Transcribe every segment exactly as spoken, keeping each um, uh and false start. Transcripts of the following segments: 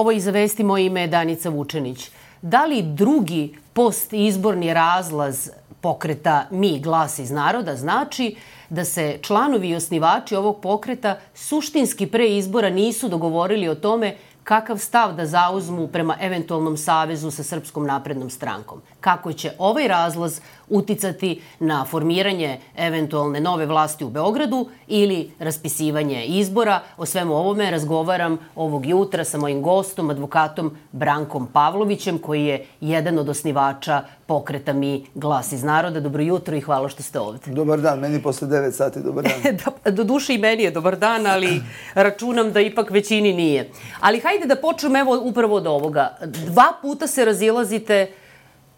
Ovo i za vesti, moje ime je Danica Vučenić. Da li drugi postizborni razlaz pokreta Mi, glas iz naroda znači da se članovi i osnivači ovog pokreta suštinski pre izbora nisu dogovorili o tome kakav stav da zauzmu prema eventualnom savezu sa Srpskom naprednom strankom? Kako će ovaj razlaz uticati na formiranje eventualne nove vlasti u Beogradu ili raspisivanje izbora? O svemu ovome razgovaram ovog jutra sa mojim gostom, advokatom Brankom Pavlovićem, koji je jedan od osnivača pokreta Mi, glas iz naroda. Dobro jutro i hvala što ste ovde. Dobar dan, meni posle devet sati dobar dan. Do duše i meni je dobar dan, ali računam da ipak većini nije. Ali hajde da počnem evo upravo od ovoga. Dva puta se razilazite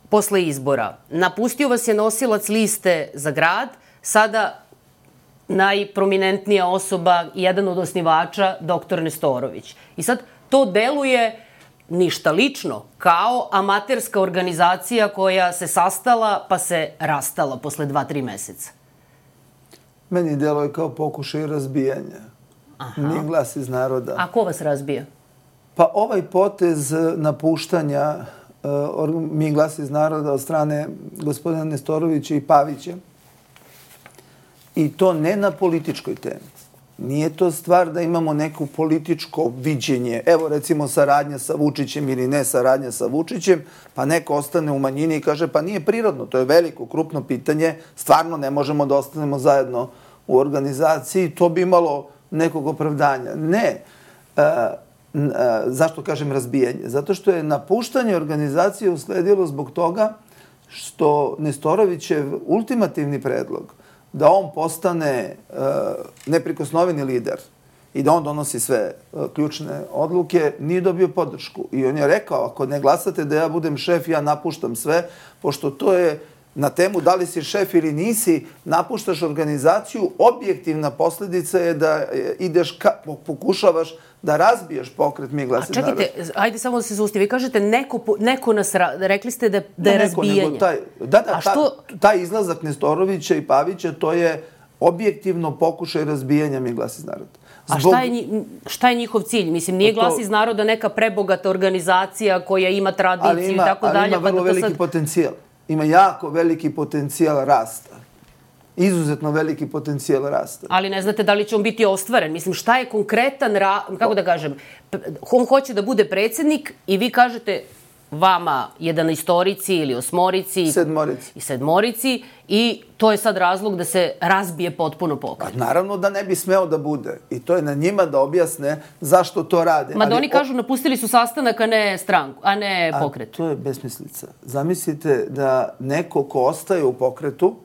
posle izbora. Napustio vas je nosilac liste za grad, sada najprominentnija osoba, jedan od osnivača, doktor Nestorović. I sad to deluje ništa lično, kao amaterska organizacija koja se sastala pa se rastala posle dva, tri meseca. Meni deluje kao pokušaj razbijanja. Mi, glas iz naroda. A ko vas razbija? Pa ovaj potez napuštanja Mi, glas iz naroda od strane gospodina Nestorovića i Pavića, i to ne na političkoj temi. Nije to stvar da imamo neko političko viđenje. Evo, recimo, saradnja sa Vučićem ili ne saradnja sa Vučićem, pa neko ostane u manjini i kaže pa nije prirodno, to je veliko, krupno pitanje, stvarno ne možemo da ostanemo zajedno u organizaciji, to bi imalo nekog opravdanja. Ne. Zašto kažem razbijanje? Zato što je napuštanje organizacije usledilo zbog toga što Nestorovićev ultimativni predlog da on postane neprikosnoveni lider i da on donosi sve ključne odluke, nije dobio podršku. I on je rekao, ako ne glasate da ja budem šef, ja napuštam sve, pošto to je na temu da li si šef ili nisi, napuštaš organizaciju, objektivna posledica je da ideš, pokušavaš da razbiješ pokret Mi, glas iz naroda. A čekajte, ajde samo da se zaustavi. Vi kažete neko nas, rekli ste da je razbijanje. Da, da, taj izlazak Nestorovića i Pavića, to je objektivno pokušaj razbijanja Mi, glas iz naroda. A šta je njihov cilj? Mislim, nije Glas iz naroda neka prebogata organizacija koja ima tradiciju i tako dalje. Ali ima vrlo veliki potencijal. Ima jako veliki potencijal rasta. Izuzetno veliki potencijal rasta. Ali ne znate da li će on biti ostvaren. Mislim, šta je konkretan, kako da kažem, on hoće da bude predsjednik i vi kažete vama jedanaestorici ili osmorici sedmorici. i sedmorici i to je sad razlog da se razbije potpuno pokret. Naravno da ne bi smeo da bude. I to je na njima da objasne zašto to rade. Ma da oni kažu napustili su sastanak, a ne stranku, a ne pokret. A to je besmislica. Zamislite da neko ko ostaje u pokretu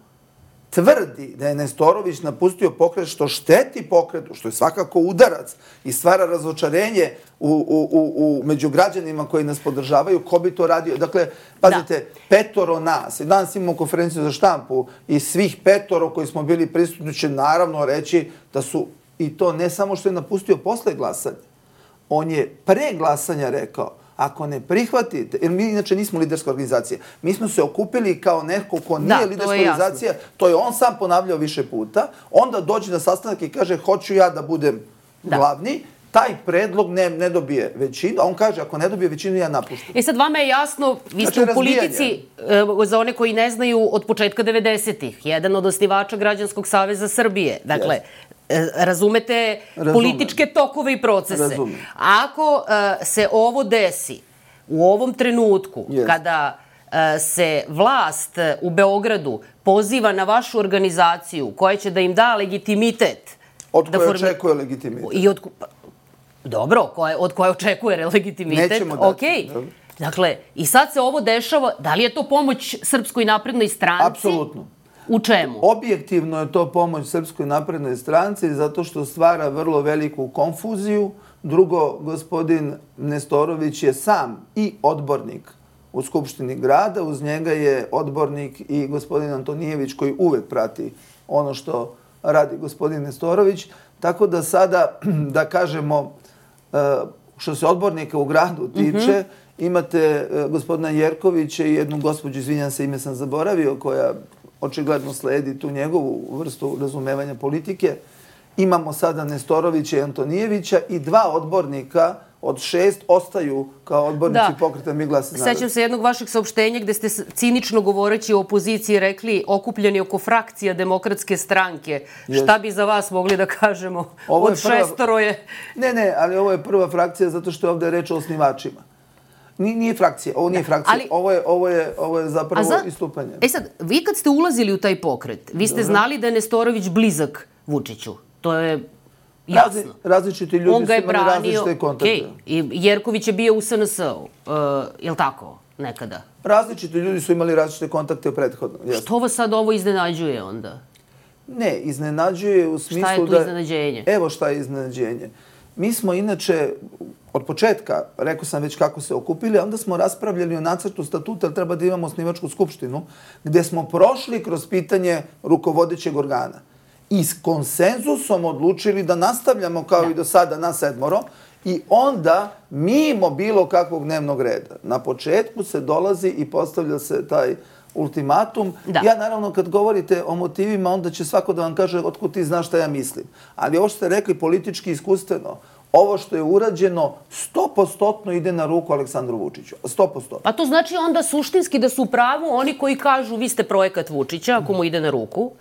tvrdi da je Nestorović napustio pokret što šteti pokretu, što je svakako udarac i stvara razočarenje među građanima koji nas podržavaju, ko bi to radio? Dakle, pazite, petoro nas, danas imamo konferenciju za štampu i svih petoro koji smo bili prisutni će naravno reći da su, i to ne samo što je napustio posle glasanja, on je pre glasanja rekao, ako ne prihvatite, jer mi inače nismo liderska organizacija, mi smo se okupili kao neko ko nije liderska organizacija, to je on sam ponavljao više puta, onda dođe na sastanak i kaže hoću ja da budem glavni, taj predlog ne dobije većinu, a on kaže ako ne dobije većinu ja napuštam. E sad vama je jasno, vi ste u politici, za one koji ne znaju, od početka devedesetih, jedan od osnivača Građanskog saveza Srbije, dakle, razumete političke tokove i procese. Ako se ovo desi u ovom trenutku, kada se vlast u Beogradu poziva na vašu organizaciju koja će da im da legitimitet... Od koje očekuje legitimitet. Dobro, od koje očekuje legitimitet. Nećemo dati. Dakle, i sad se ovo dešava, da li je to pomoć Srpskoj naprednoj stranci? Apsolutno. U čemu? Objektivno je to pomoć Srpskoj naprednoj stranci zato što stvara vrlo veliku konfuziju. Drugo, gospodin Nestorović je sam i odbornik u Skupštini grada. Uz njega je odbornik i gospodin Antonijević koji uvek prati ono što radi gospodin Nestorović. Tako da sada, da kažemo, što se odbornika u gradu tiče, imate gospodina Jerkovića i jednu gospođu, izvinjam se, ime sam zaboravio, koja očigledno sledi tu njegovu vrstu razumevanja politike. Imamo sada Nestorovića i Antonijevića i dva odbornika od šest ostaju kao odbornici Da. pokreta Mi glas iz naroda. Sećam se jednog vašeg saopštenja gde ste s- cinično govoreći o opoziciji rekli okupljeni oko frakcija Demokratske stranke. Jest. Šta bi za vas mogli da kažemo? Ovo je Od prva- šestoro je... Ne, ne, ali ovo je prva frakcija zato što je ovde reč o osnivačima. Nije, nije frakcija, ovo nije frakcija, ali- ovo, je, ovo, je, ovo je zapravo za- istupanje. E sad, vi kad ste ulazili u taj pokret, vi ste znali da je Nestorović blizak Vučiću. To je jasno. Razni, različiti ljudi On ga su je imali branio, različite kontakte. okej, i Jerković je bio u S N S-u, uh, je li tako, nekada? Različiti ljudi su imali različite kontakte u prethodnom. Jeste. Što vas sad ovo iznenađuje onda? Ne, iznenađuje u smislu da... Šta je tu iznenađenje? Evo šta je iznenađenje. Mi smo inače, od početka, rekao sam već kako se okupili, a onda smo raspravljali o nacrtu statuta, jer treba da imamo osnivačku skupštinu, gde smo prošli kroz pitanje rukovodećeg organa. I s konsenzusom odlučili da nastavljamo kao Da. i do sada na sedmoro, i onda mimo bilo kakvog dnevnog reda. Na početku se dolazi i postavlja se taj ultimatum. Da. Ja naravno kad govorite o motivima, onda će svako da vam kaže otkud ti znaš šta ja mislim. Ali ovo što ste rekli politički iskustveno, ovo što je urađeno sto posto ide na ruku Aleksandru Vučiću. sto posto. Pa to znači onda suštinski da su u pravu oni koji kažu vi ste projekat Vučića, ako mu ide na ruku.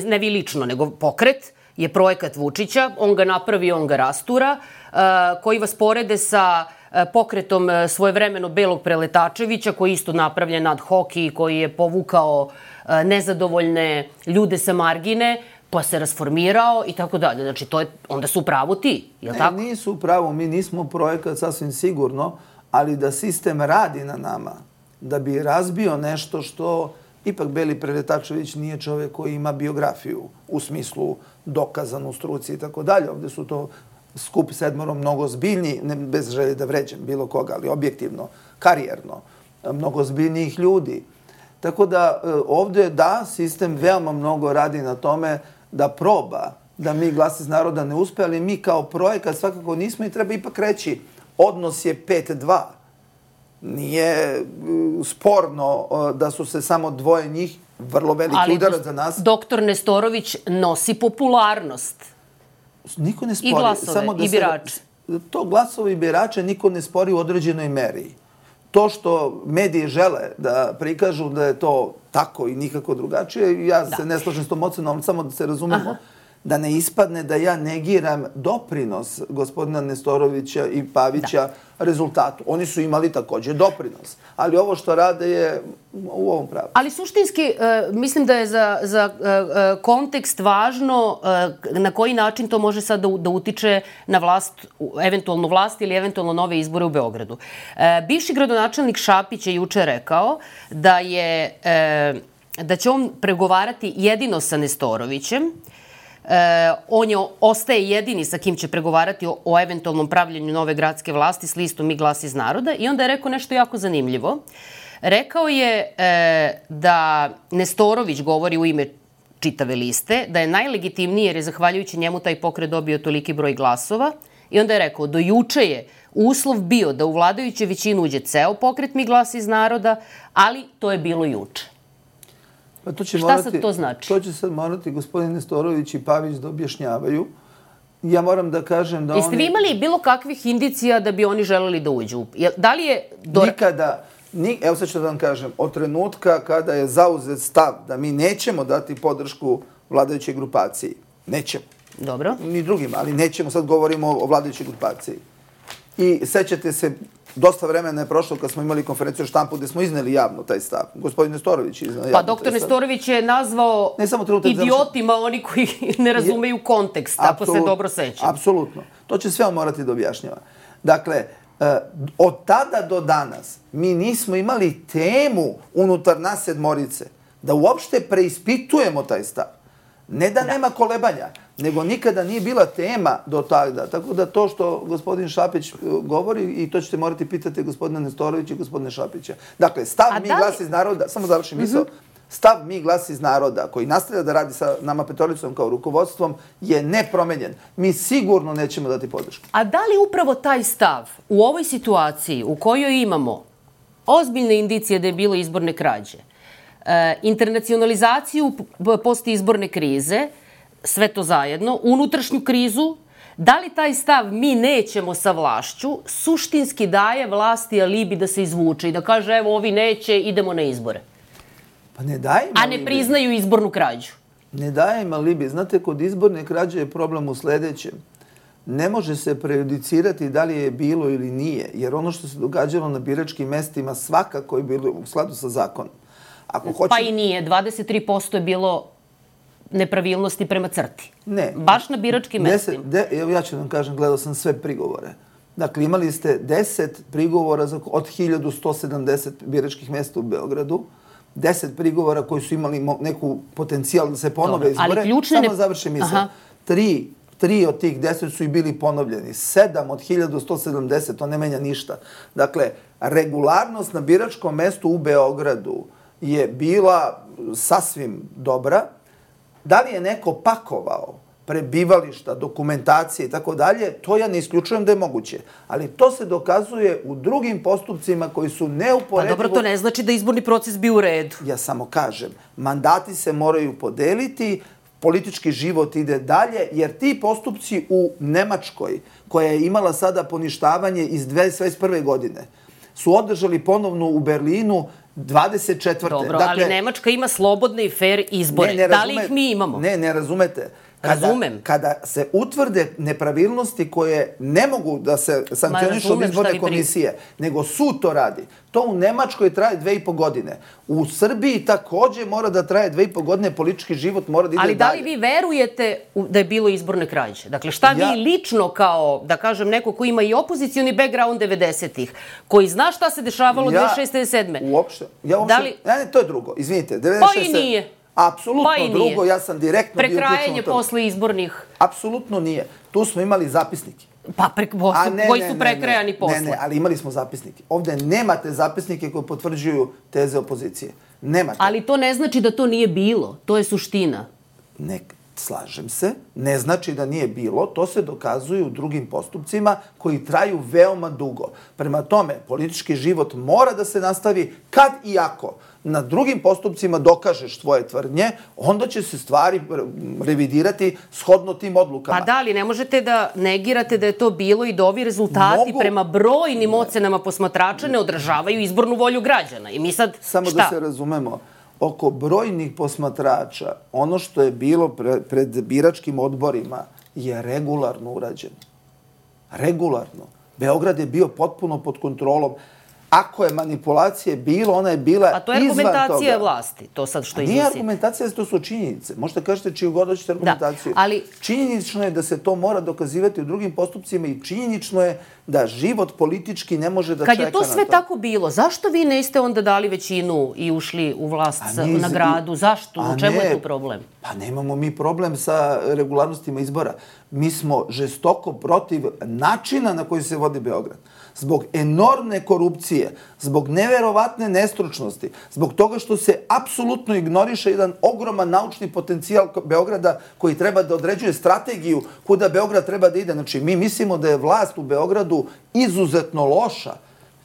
Ne vi lično, nego pokret je projekat Vučića, on ga napravi, on ga rastura, uh, koji vas porede sa uh, pokretom uh, svojevremeno Belog Preletačevića, koji je isto napravljen ad hoc i koji je povukao uh, nezadovoljne ljude sa margine, pa se rasformirao i tako dalje. Znači, to je, onda su u pravu ti, je li Ne, tako? nisu u pravu, mi nismo projekat sasvim sigurno, ali da sistem radi na nama, da bi razbio nešto što ipak Beli Preletačević nije čovjek koji ima biografiju u smislu dokazanu struci i tako dalje. Ovde su to skup sedmorom mnogo zbiljni, ne bez želje da vređam bilo koga, ali objektivno, karijerno, mnogo zbiljnijih ljudi. Tako da e, ovde da, sistem veoma mnogo radi na tome da proba da Mi glas iz naroda ne uspe, ali mi kao projekat svakako nismo i treba ipak reći odnos je pet dva. Nije uh, sporno uh, da su se samo dvoje njih, vrlo veliki Ali udarac za nas. doktor Nestorović nosi popularnost. Niko ne spori. I glasove, samo da i se- birače. To glasove i birače niko ne spori u određenoj meri. To što mediji žele da prikažu da je to tako i nikako drugačije, ja Da. se ne slažem s tom ocenom, ali samo da se razumemo, da ne ispadne da ja negiram doprinos gospodina Nestorovića i Pavića rezultatu. Oni su imali takođe doprinos. Ali ovo što rade je u ovom pravu. Ali suštinski, e, mislim da je za, za e, e, kontekst važno e, na koji način to može sad da, u- da utiče na vlast, u- eventualnu vlast ili eventualno nove izbore u Beogradu. E, bivši gradonačelnik Šapić je juče rekao da je e, da će on pregovarati jedino sa Nestorovićem. E, on je, ostaje jedini sa kim će pregovarati o, o eventualnom pravljenju nove gradske vlasti s listom Mi glas iz naroda. I onda je rekao nešto jako zanimljivo. Rekao je e, da Nestorović govori u ime čitave liste, da je najlegitimniji jer je zahvaljujući njemu taj pokret dobio toliki broj glasova. I onda je rekao, do juče je uslov bio da u vladajuću većinu uđe ceo pokret Mi glas iz naroda, ali to je bilo juče. Pa to će Šta morati, sad to znači? To će sad morati gospodin Nestorović i Pavić da objašnjavaju. Ja moram da kažem da Jeste oni... vi imali bilo kakvih indicija da bi oni želeli da uđu? Jel- Da li je... Do... Nikada, ni, evo sad ću da vam kažem, od trenutka kada je zauzet stav da mi nećemo dati podršku vladajućoj grupaciji, nećemo, Dobro. ni drugima, ali nećemo, sad govorimo o vladajućoj grupaciji. I sećate se, dosta vremena je prošlo kad smo imali konferenciju o štampu gde smo izneli javno taj stav. Gospodin Nestorović je iznao javno Pa taj doktor stav. Nestorović je nazvao Ne samo trenutak, idiotima oni koji ne razumeju kontekst, ako se Apsolut- dobro sećam. Apsolutno. To će sve on morati da objašnjava. Dakle, e, od tada do danas mi nismo imali temu unutar nas sedmorice da uopšte preispitujemo taj stav. Ne da, nema kolebanja, nego nikada nije bila tema do tada. Tako da to što gospodin Šapić e, govori, i to ćete morati pitati gospodina Nestorovića i gospodina Šapića. Dakle, stav A Mi da li- glas iz naroda, samo završim misao, stav Mi glas iz naroda, koji nastavlja da radi sa nama petoricom kao rukovodstvom, je nepromenjen. Mi sigurno nećemo dati podršku. A da li upravo taj stav u ovoj situaciji u kojoj imamo ozbiljne indicije da je bilo izborne krađe, e, internacionalizaciju p- posti izborne krize, sve to zajedno, unutrašnju krizu, Da li taj stav mi nećemo sa vlašću suštinski daje vlasti alibi da se izvuče i da kaže evo ovi neće, idemo na izbore? Pa ne daje im A alibi. ne priznaju izbornu krađu. Ne daje im alibi. Znate, kod izborne krađe je problem u sledećem. Ne može se prejudicirati da li je bilo ili nije, jer ono što se događalo na biračkim mestima svakako je bilo u skladu sa zakonom. Ako hoće... Pa i nije. dvadeset tri posto je bilo nepravilnosti prema crti. Ne. Baš na biračkim mestima. De, evo ja ću vam kažem, gledao sam sve prigovore. Dakle, imali ste deset prigovora za, od hiljadu sto sedamdeset biračkih mesta u Beogradu, deset prigovora koji su imali mo, neku potencijal da se ponove izbore. Ali ključne Samo ne... završim misao. Tri, tri od tih deset su i bili ponovljeni. Sedam od hiljadu sto sedamdeset, to ne menja ništa. Dakle, regularnost na biračkom mestu u Beogradu je bila sasvim dobra. Da li je neko pakovao prebivališta, dokumentacije i tako dalje, to ja ne isključujem da je moguće. Ali to se dokazuje u drugim postupcima koji su neuporedivo... Pa dobro, to ne znači da izborni proces bi u redu. Ja samo kažem, mandati se moraju podeliti, politički život ide dalje, jer ti postupci u Nemačkoj, koja je imala sada poništavanje iz dvadeset prve godine, su održali ponovno u Berlinu dvadeset četvrte Dobro, dakle, ali Nemačka ima slobodne i fair izbore. Ne, ne da li ih mi imamo? Ne, ne razumete. Kada, Razumem. Kada se utvrde nepravilnosti koje ne mogu da se sankcionišu od izborne komisije, nego sud to radi, to u Nemačkoj traje dve i po godine. U Srbiji takođe mora da traje dve i po godine, politički život mora da ide dalje. Ali da li vi verujete da je bilo izborne krađe? Dakle, šta ja... vi lično kao, da kažem, neko ko ima i opozicioni background devedesetih, koji zna šta se dešavalo ja, devedeset šeste. devedeset sedme. Uopšte. Ja uopšte, da li... ne, ne, to je drugo. Izvinite. devedeset šeste. Pa i nije. Apsolutno pa drugo, ja sam direktno bio uključen u to. Prekrajanje posle izbornih. Apsolutno nije. Tu smo imali zapisnike. Pa pre, su, ne, koji su prekrajani ne, posle. Ne, ne, ali imali smo zapisnike. Ovde nemate zapisnike koji potvrđuju teze opozicije. Nemate. Ali to ne znači da to nije bilo. To je suština. Ne, slažem se. Ne znači da nije bilo. To se dokazuje u drugim postupcima koji traju veoma dugo. Prema tome, politički život mora da se nastavi kad i ako na drugim postupcima dokažeš tvoje tvrdnje, onda će se stvari revidirati shodno tim odlukama. Pa da, ali ne možete da negirate da je to bilo i da ovi rezultati Mogu... prema brojnim ocenama posmatrača ne odražavaju izbornu volju građana. I mi sad, Samo šta? da se razumemo, oko brojnih posmatrača, ono što je bilo pre, pred biračkim odborima je regularno urađeno. Regularno. Beograd je bio potpuno pod kontrolom. Ako je manipulacije bilo, ona je bila izvan toga. A to je argumentacija vlasti, to sad što iznosite. Nije argumentacija, to su činjenice. Možete kažete čiju god hoćete argumentaciju. Da, ali... Činjenično je da se to mora dokazivati u drugim postupcima i činjenično je da život politički ne može da Kad čeka na to. Kad je to sve tako bilo, zašto vi niste onda dali većinu i ušli u vlast niz... na gradu? Zašto? U čemu ne, je tu problem? Pa nemamo mi problem sa regularnostima izbora. Mi smo žestoko protiv načina na koji se vodi Beograd. Zbog enormne korupcije, zbog neverovatne nestručnosti, zbog toga što se apsolutno ignoriše jedan ogroman naučni potencijal Beograda koji treba da određuje strategiju kuda Beograd treba da ide. Znači, mi mislimo da je vlast u Beogradu izuzetno loša.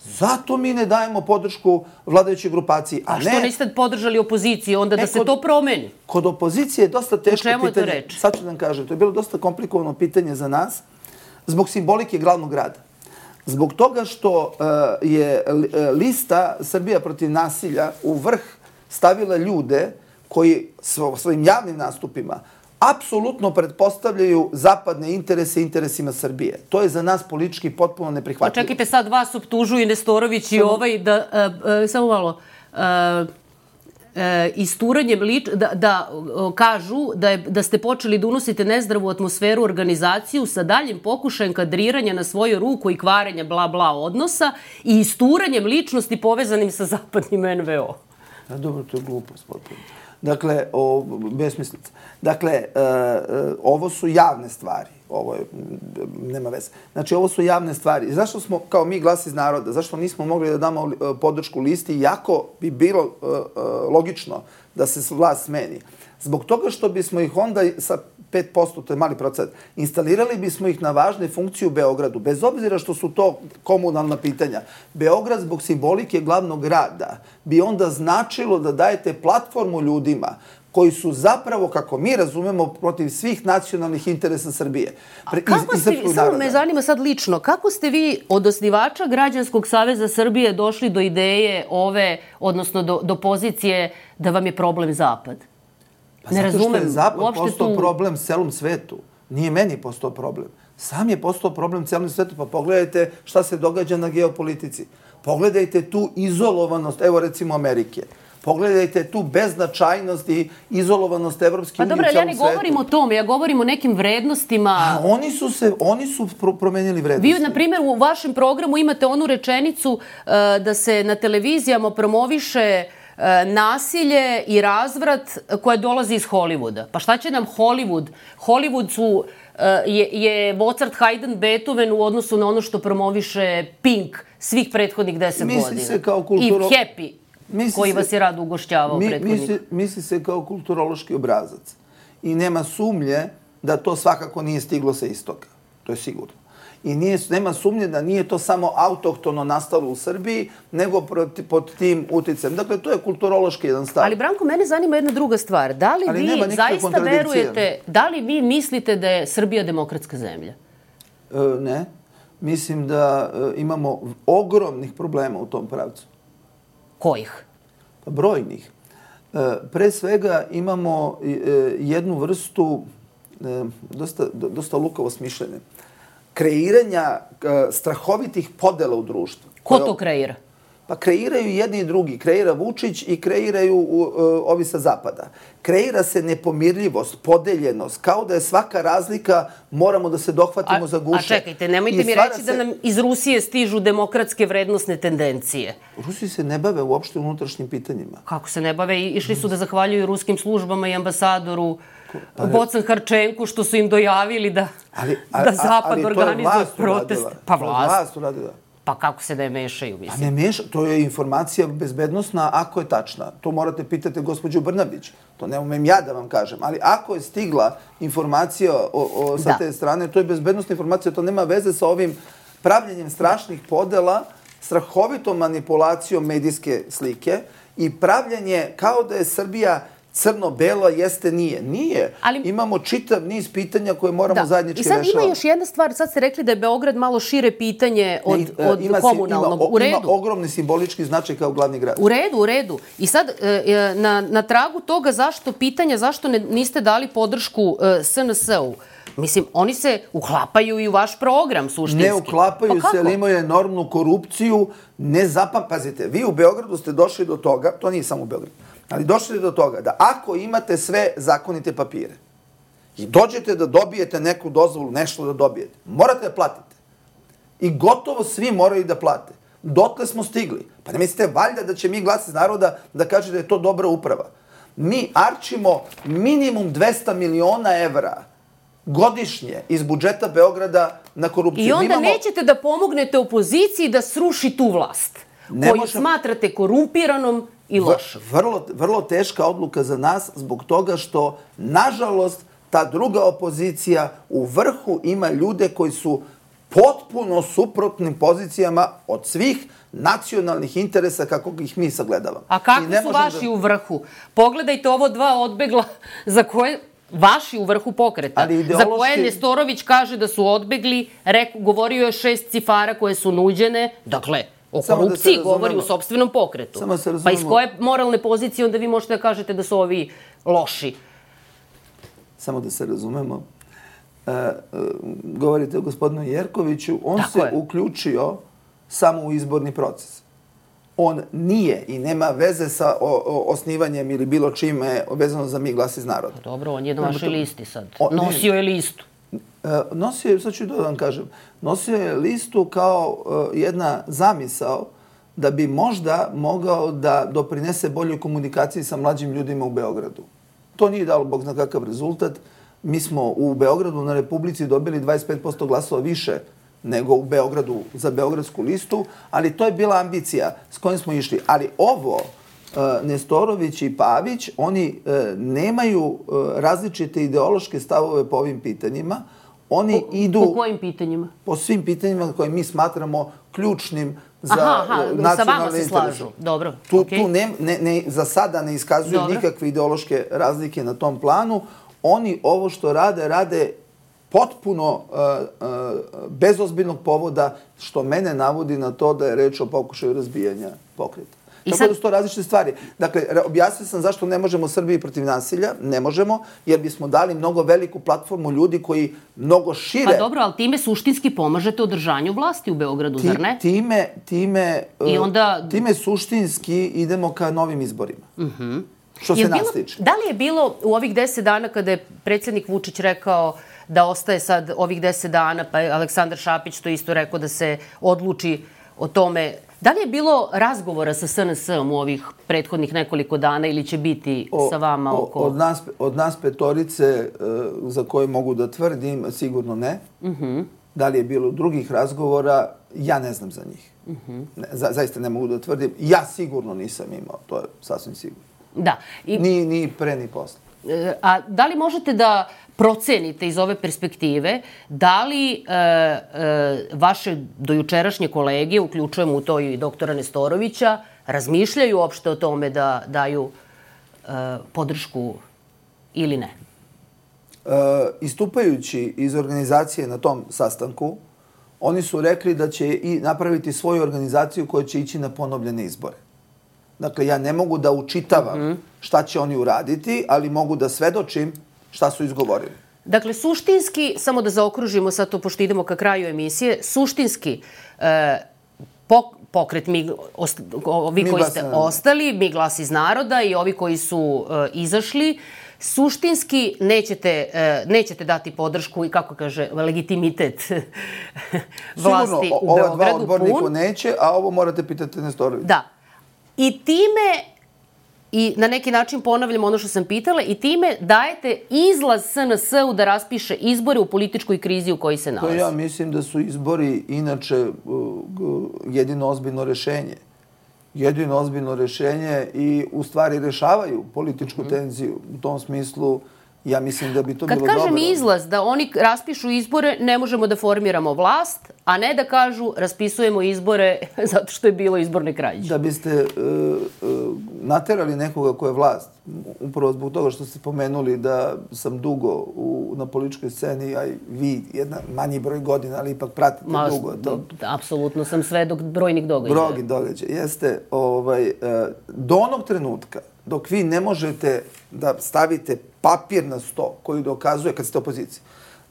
Zato mi ne dajemo podršku vladajućoj grupaciji. A, a što ne... niste podržali opoziciju, onda da e, se kod, to promeni? Kod opozicije je dosta teško pitanje. U čemu je to reč? Sad ću da vam kažem, to je bilo dosta komplikovano pitanje za nas, zbog simbolike glavnog grada. Zbog toga što uh, je lista Srbija protiv nasilja u vrh stavila ljude koji svo, svojim javnim nastupima apsolutno pretpostavljaju zapadne interese interesima Srbije. To je za nas politički potpuno neprihvatljivo. Pa čekajte, sad vas optužuju Nestorović i ovaj da, uh, uh, samo malo, uh, E, isturanjem lič, da, da o, kažu da, je, da ste počeli da unosite nezdravu atmosferu organizaciju sa daljim pokušajem kadriranja na svoju ruku i kvarenja bla bla odnosa i isturanjem ličnosti povezanim sa zapadnim en ve o. A dobro, to je glupost potpuno. Dakle, o, besmislica. Dakle, e, e, ovo su javne stvari. Ovo je, nema veze. Znači, ovo su javne stvari. Zašto smo, kao mi Glas iz naroda, zašto nismo mogli da damo podršku listi, iako bi bilo uh, uh, logično da se vlast smeni? Zbog toga što bismo ih onda sa pet posto, to je mali procent, instalirali bismo ih na važne funkcije u Beogradu, bez obzira što su to komunalna pitanja. Beograd zbog simbolike glavnog grada bi onda značilo da dajete platformu ljudima koji su zapravo, kako mi razumemo, protiv svih nacionalnih interesa Srbije. A kako ste, samo me zanima sad lično, kako ste vi od osnivača Građanskog saveza Srbije došli do ideje ove, odnosno do, do pozicije da vam je problem Zapad? Pa ne razumem. Zato što je Zapad postao tu... problem celom svetu. Nije meni postao problem. Sam je postao problem celom svetu. Pa pogledajte šta se događa na geopolitici. Pogledajte tu izolovanost, evo recimo Amerike. Pogledajte tu beznačajnost i izolovanost Evropske unije u celom svetu. Pa dobro, ali ja ne govorim o tome, ja govorim o nekim vrednostima. A oni su se, oni su promenili vrednosti. Vi, na primjer, u vašem programu imate onu rečenicu uh, da se na televizijama promoviše uh, nasilje i razvrat koje dolazi iz Hollywooda. Pa šta će nam Hollywood? Hollywood su, uh, je, je Mozart, Haydn, Beethoven u odnosu na ono što promoviše Pink svih prethodnih deset misli godina. Se kao kulturo... I Happy. Misli koji vas je rado ugošćavao mi, prethodnik. Misli, misli se kao kulturološki obrazac. I nema sumnje da to svakako nije stiglo sa istoka. To je sigurno. I nije, nema sumnje da nije to samo autohtono nastalo u Srbiji, nego proti, pod tim uticajem. Dakle, to je kulturološki jedan stav. Ali, Branko, mene zanima jedna druga stvar. Da li Ali vi zaista verujete, da li vi mislite da je Srbija demokratska zemlja? E, ne. Mislim da e, imamo ogromnih problema u tom pravcu. Kojih? Pa brojnih. Pre svega imamo jednu vrstu dosta, dosta lukavo smišljene. Kreiranja strahovitih podela u društvu. Ko to kreira? Pa kreiraju jedni i drugi. Kreira Vučić i kreiraju uh, ovi sa zapada. Kreira se nepomirljivost, podeljenost, kao da je svaka razlika, moramo da se dohvatimo a, za guše. A čekajte, nemojte mi reći se... da nam iz Rusije stižu demokratske vrednosne tendencije. Rusi se ne bave uopšte unutrašnjim pitanjima. Kako se ne bave? Išli su da zahvaljuju ruskim službama i ambasadoru pa, Bocan Harčenku što su im dojavili da, ali, ali, da Zapad organizuje protest. Pa vlast uradila. Pa kako se ne mešaju, mislim? Pa ne meša, to je informacija bezbednostna ako je tačna. To morate pitati gospođu Brnabić. To ne umem ja da vam kažem. Ali ako je stigla informacija o, o, sa da. te strane, to je bezbednostna informacija, to nema veze sa ovim pravljenjem strašnih podela, strahovitom manipulacijom medijske slike i pravljanje kao da je Srbija crno-belo, jeste, nije. Nije. Ali, imamo čitav niz pitanja koje moramo da. zajednički rešavati. I sad ima još jedna stvar. Sad ste rekli da je Beograd malo šire pitanje od, ne, od ima, komunalnog. Ima, u redu. Ima ogromni simbolički značaj kao glavni grad. U redu, u redu. I sad, na, na tragu toga zašto pitanja, zašto ne, niste dali podršku S N S-u? Mislim, oni se uklapaju i u vaš program, suštinski. Ne uklapaju pa se, ali imaju enormnu korupciju. Ne zapam... Pazite, vi u Beogradu ste došli do toga, to nije samo u Beogradu, ali došli do toga da ako imate sve zakonite papire i dođete da dobijete neku dozvolu, nešto da dobijete, morate da platite. I gotovo svi moraju da plate. Dotle smo stigli. Pa ne mislite valjda da će mi Glas iz naroda da kaže da je to dobra uprava. Mi arčimo minimum dvesta miliona evra godišnje iz budžeta Beograda na korupciju. I onda imamo... nećete da pomognete opoziciji da sruši tu vlast, ne koju možem... smatrate korumpiranom i lošom. Vrlo, vrlo teška odluka za nas zbog toga što, nažalost, ta druga opozicija u vrhu ima ljude koji su potpuno suprotnim pozicijama od svih nacionalnih interesa kako ih mi sagledavamo. A kakvi su vaši da... u vrhu? Pogledajte ovo dva odbegla za koje... Vaši u vrhu pokreta, ideološki... za koje Nestorović kaže da su odbegli, reku, govorio je šest cifara koje su nuđene, dakle, o korupciji da govori u sopstvenom pokretu. Pa iz koje moralne pozicije onda vi možete da kažete da su ovi loši? Samo da se razumemo. E, e, govorite o gospodinu Jerkoviću, on Tako se je. uključio samo u izborni proces. On nije i nema veze sa o, o, osnivanjem ili bilo čime vezano za Mi Glas iz naroda. Dobro, on je na vašoj listi sad. On, nosio je listu. E, nosio je, sad ću da vam kažem, nosio je listu kao e, jedna zamisao da bi možda mogao da doprinese boljoj komunikaciji sa mlađim ljudima u Beogradu. To nije dalo bog zna kakav rezultat. Mi smo u Beogradu na Republici dobili dvadeset pet posto glasova više nego u Beogradu za beogradsku listu, ali to je bila ambicija s kojom smo išli. Ali ovo, Nestorović i Pavić, oni nemaju različite ideološke stavove po ovim pitanjima. Oni po, idu... Po kojim pitanjima? Po svim pitanjima koje mi smatramo ključnim za aha, aha, nacionalne sa vama se interese. slažu. Dobro. Tu, okay. tu ne, ne, ne, za sada ne iskazuju Dobro. nikakve ideološke razlike na tom planu. Oni ovo što rade, rade potpuno uh, uh, bez ozbiljnog povoda, što mene navodi na to da je reč o pokušaju razbijanja pokreta. I Tako sad... da su to različite stvari. Dakle, objasnio sam zašto ne možemo Srbiji protiv nasilja. Ne možemo, jer bismo dali mnogo veliku platformu ljudi koji mnogo šire... Pa dobro, ali time suštinski pomažete održanju vlasti u Beogradu, Ti, zar ne? Time, time, I onda... time suštinski idemo ka novim izborima. Uh-huh. Što se nas tiče. Da li je bilo u ovih deset dana kada je predsjednik Vučić rekao da ostaje sad ovih deset dana, pa je Aleksandar Šapić to isto rekao da se odluči o tome. Da li je bilo razgovora sa S N S-om u ovih prethodnih nekoliko dana ili će biti o, sa vama oko... O, od, nas, od nas petorice uh, za koje mogu da tvrdim, sigurno ne. Uh-huh. Da li je bilo drugih razgovora, ja ne znam za njih. Uh-huh. ne, za, zaista ne mogu da tvrdim. Ja sigurno nisam imao, to je sasvim sigurno. Da. I... Ni, ni pre, ni posle. A da li možete da procenite iz ove perspektive da li e, e, vaše dojučerašnje kolege, uključujemo u to i doktora Nestorovića, razmišljaju uopšte o tome da daju e, podršku ili ne? E, istupajući iz organizacije na tom sastanku, oni su rekli da će i napraviti svoju organizaciju koja će ići na ponovljene izbore. Dakle, ja ne mogu da učitavam mm-hmm. šta će oni uraditi, ali mogu da svedočim šta su izgovorili. Dakle, suštinski, samo da zaokružimo sad to, pošto idemo ka kraju emisije, suštinski e, pok, pokret, mi, ost, ovi mi koji ste naroda. ostali, mi glas iz naroda i ovi koji su e, izašli, suštinski nećete, e, nećete dati podršku i, kako kaže, legitimitet vlasti Sigurno, u Beogradu. Sigurno, ova dva odbornika neće, a ovo morate pitati Nestorovića. Da. I time, i na neki način ponavljam ono što sam pitala, i time dajete izlaz S N S-u da raspiše izbore u političkoj krizi u kojoj se nalazi. To ja mislim da su izbori inače jedino ozbiljno rešenje. Jedino ozbiljno rešenje i u stvari rešavaju političku mm-hmm. tenziju. U tom smislu ja mislim da bi to Kad bilo dobro. Kad kažem izlaz, da oni raspišu izbore, ne možemo da formiramo vlast, a ne da kažu raspisujemo izbore zato što je bilo izborne krađe. Da biste uh, uh, naterali nekoga ko je vlast, upravo zbog toga što ste pomenuli da sam dugo u, na političkoj sceni, a i vi jedna manji broj godina, ali ipak pratite Ma, dugo to. Apsolutno sam sve dok brojnih događaja. Brojnih događaja, jeste. Ovaj, uh, do onog trenutka dok vi ne možete da stavite papir na sto koji dokazuje, kad ste opoziciji,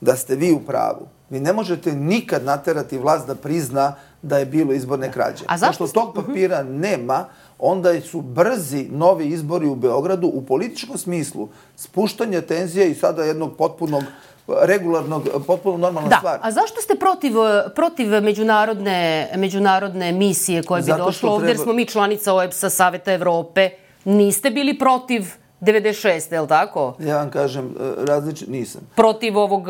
da ste vi u pravu, vi ne možete nikad naterati vlast da prizna da je bilo izborne krađe. A zašto Pošto tog papira nema, onda su brzi novi izbori u Beogradu u političkom smislu spuštanje tenzije i sada jednog potpunog regularnog, potpuno normalna da. stvar. A zašto ste protiv, protiv međunarodne, međunarodne misije koje bi Zato došlo ovdje, treba... jer smo mi članica O E B S-a, Saveta Evrope? Niste bili protiv devedeset šeste, je li tako? Ja vam kažem, različit, nisam. Protiv ovog...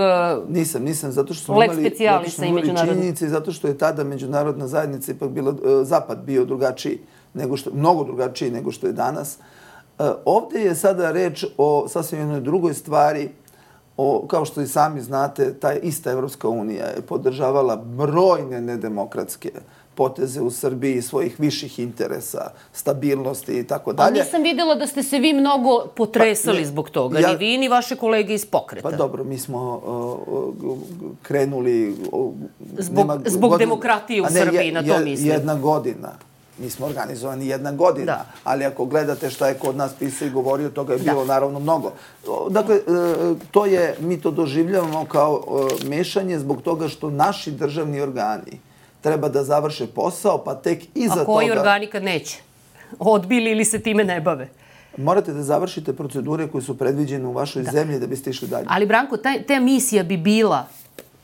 Nisam, nisam, zato što smo imali, zato što imali činjenice, zato što je tada međunarodna zajednica ipak bila, zapad bio drugačiji, nego što, mnogo drugačiji nego što je danas. Ovdje je sada reč o sasvim jednoj drugoj stvari. O, kao što i sami znate, ta ista Evropska unija je podržavala brojne nedemokratske poteze u Srbiji, svojih viših interesa, stabilnosti i tako dalje. A nisam vidjela da ste se vi mnogo potresali pa, zbog toga, ja, ni vi, ni vaše kolege iz pokreta. Pa dobro, mi smo uh, krenuli... Uh, zbog nema, zbog godin, demokratije u ne, Srbiji, je, na to mislim. Jedna godina. Mi smo organizovani jedna godina, da. Ali ako gledate šta je kod nas pisao i govorio, toga je bilo da. naravno mnogo. Dakle, to je, mi to doživljavamo kao mešanje zbog toga što naši državni organi treba da završe posao, pa tek iza toga... A koji toga, organi kad neće? Odbili ili se time ne bave? Morate da završite procedure koje su predviđene u vašoj da. zemlji da biste išli dalje. Ali, Branko, taj, ta misija bi bila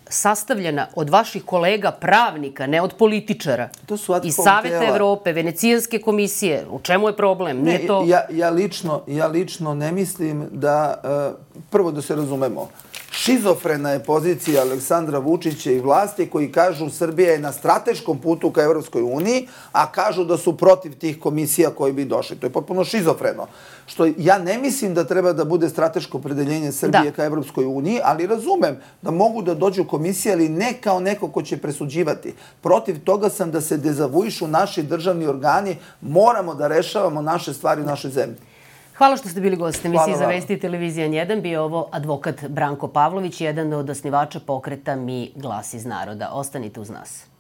sastavljena od vaših kolega pravnika, ne od političara. To su iz Saveta tela. Evrope, Venecijanske komisije. U čemu je problem? Ne, Nije to... ja, ja, lično, ja lično ne mislim da... Uh, prvo da se razumemo. Šizofrena je pozicija Aleksandra Vučića i vlasti koji kažu Srbija je na strateškom putu ka Evropskoj uniji, a kažu da su protiv tih komisija koji bi došli. To je potpuno šizofreno. Što ja ne mislim da treba da bude strateško opredeljenje Srbije ka Evropskoj uniji, ali razumem da mogu da dođu komisije, ali ne kao neko ko će presuđivati. Protiv toga sam da se dezavuišu naši državni organi, moramo da rešavamo naše stvari u našoj zemlji. Hvala što ste bili gost emisije za Vesti Televizija N jedan. Bio ovo advokat Branko Pavlović, jedan od osnivača pokreta Mi glas iz naroda. Ostanite uz nas.